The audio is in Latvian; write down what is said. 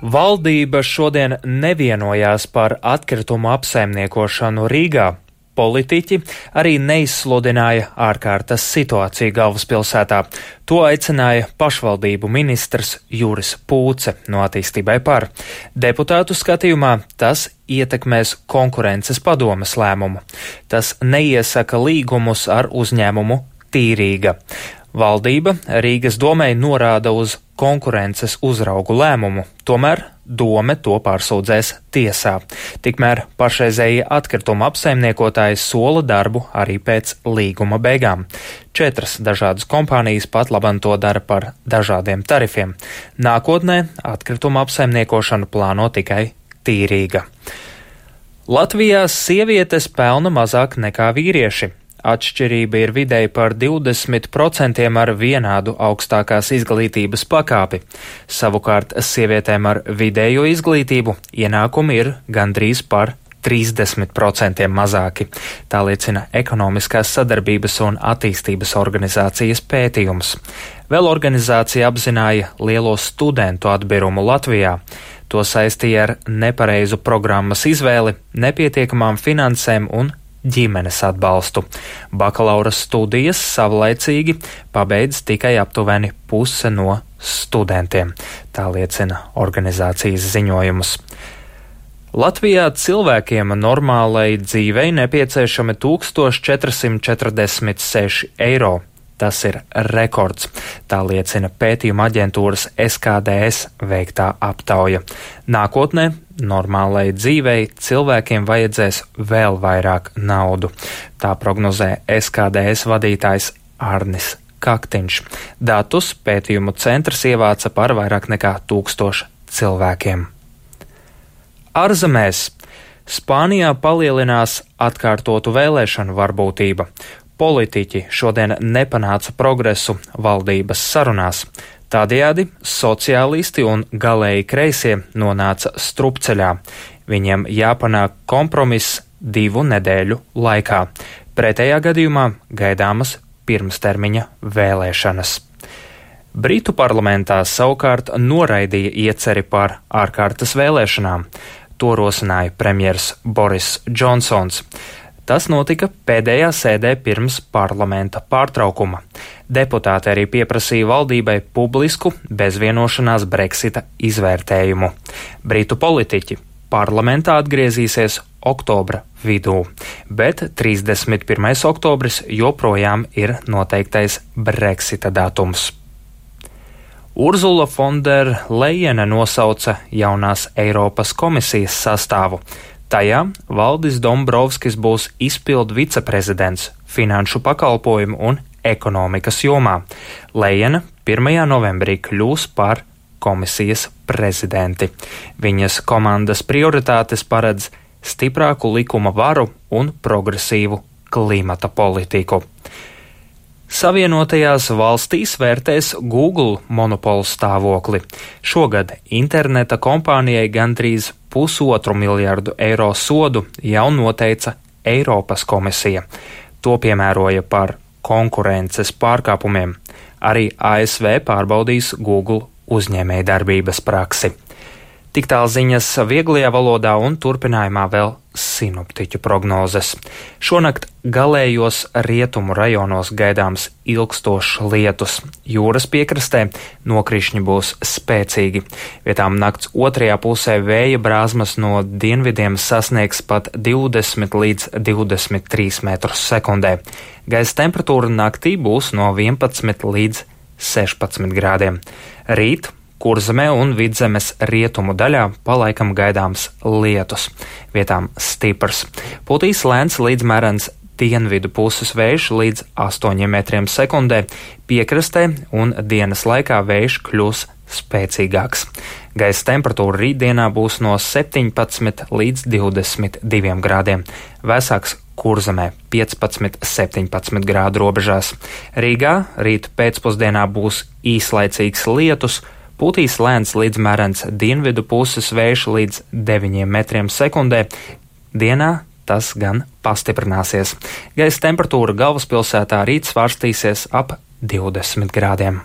Valdība šodien nevienojās par atkritumu apsaimniekošanu Rīgā. Politiķi arī neizsludināja ārkārtas situāciju galvaspilsētā. To aicināja pašvaldību ministrs Juris Pūce no Attīstībai par. Deputātu skatījumā tas ietekmēs konkurences padomes lēmumu. Tas neiesaka līgumus ar uzņēmumu Tīrīga. Valdība Rīgas domei norāda uz konkurences uzraugu lēmumu, tomēr dome to pārsūdzēs tiesā. Tikmēr pašreizējie atkrituma apsaimniekotāji sola darbu arī pēc līguma beigām. 4 dažādas kompānijas pat labam to dara par dažādiem tarifiem. Nākotnē atkrituma apsaimniekošanu plāno tikai Tīrīga. Latvijā sievietes pelna mazāk nekā vīrieši. Atšķirība ir vidēji par 20% ar vienādu augstākās izglītības pakāpi. Savukārt sievietēm ar vidējo izglītību ienākumi ir gandrīz par 30% mazāki. Tā liecina Ekonomiskās sadarbības un attīstības organizācijas pētījums. Vēl organizācija apzināja lielo studentu atbirumu Latvijā. To saistīja ar nepareizu programmas izvēli, nepietiekamām finansēm un ģimenes atbalstu. Bakalaura studijas savlaicīgi pabeidz tikai aptuveni puse no studentiem, tā liecina organizācijas ziņojums. Latvijā cilvēkiem normālai dzīvei nepieciešami 1446 eiro. Tas ir rekords, tā liecina pētījuma aģentūras SKDS veiktā aptauja. Nākotnē normālai dzīvei cilvēkiem vajadzēs vēl vairāk naudu. Tā prognozē SKDS vadītājs Arnis Kaktiņš. Datus pētījumu centrs ievāca par vairāk nekā 1000 cilvēkiem. Ārzemēs Spānijā palielinās atkārtotu vēlēšanu varbūtība. Politiķi šodien nepanāca progresu valdības sarunās. Tādējādi sociālisti un galēji kreisie nonāca strupceļā. Viņiem jāpanāk kompromiss 2 nedēļu laikā. Pretējā gadījumā gaidāmas pirmstermiņa vēlēšanas. Britu parlamentā savukārt noraidīja ieceri par ārkārtas vēlēšanām. To rosināja premjers Boris Džonsons. Tas notika pēdējā sēdē pirms parlamenta pārtraukuma. Deputāti arī pieprasīja valdībai publisku bezvienošanās Brexita izvērtējumu. Britu politiķi parlamentā atgriezīsies oktobra vidū, bet 31. oktobris joprojām ir noteiktais Brexita datums. Urzula Fonderlejene nosauca jaunās Eiropas komisijas sastāvu. Tajā Valdis Dombrovskis būs izpildu viceprezidents finanšu pakalpojumu un ekonomikas jomā. Lejena 1. novembrī kļūs par komisijas prezidenti. Viņas komandas prioritātes paredz stiprāku likuma varu un progresīvu klimata politiku. Savienotajās valstīs vērtēs Google monopolu stāvokli. Šogad interneta kompānijai gandrīz 1,5 miljardu eiro sodu jau noteica Eiropas komisija. To piemēroja par konkurences pārkāpumiem. Arī ASV pārbaudīs Google uzņēmējdarbības praksi. Tik tālu ziņas vieglajā valodā un turpinājumā vēl sinoptiķu prognozes. Šonakt galējos rietumu rajonos gaidāms ilgstošs lietus. Jūras piekrastē nokrišņi būs spēcīgi. Vietām nakts otrajā pusē vēja brāzmas no dienvidiem sasniegs pat 20 līdz 23 metrus sekundē. Gaisa temperatūra naktī būs no 11 līdz 16 grādiem. Rīt Kurzemē un Vidzemes rietumu daļā palaikam gaidāms lietus, vietām stiprs. Putīs lēns līdz mērens dienvidu puses vējš līdz 8 metriem sekundē, piekrastē un dienas laikā vējš kļūs spēcīgāks. Gaisa temperatūra rītdienā būs no 17 līdz 22 grādiem, vēsāks Kurzemē 15–17 grādu robežās. Rīgā rīt pēcpusdienā būs īslaicīgs lietus, putīs lēns līdz mērens dienvidu puses vējš līdz 9 metriem sekundē. Dienā tas gan pastiprināsies. Gaisa temperatūra galvaspilsētā rīt svārstīsies ap 20 grādiem.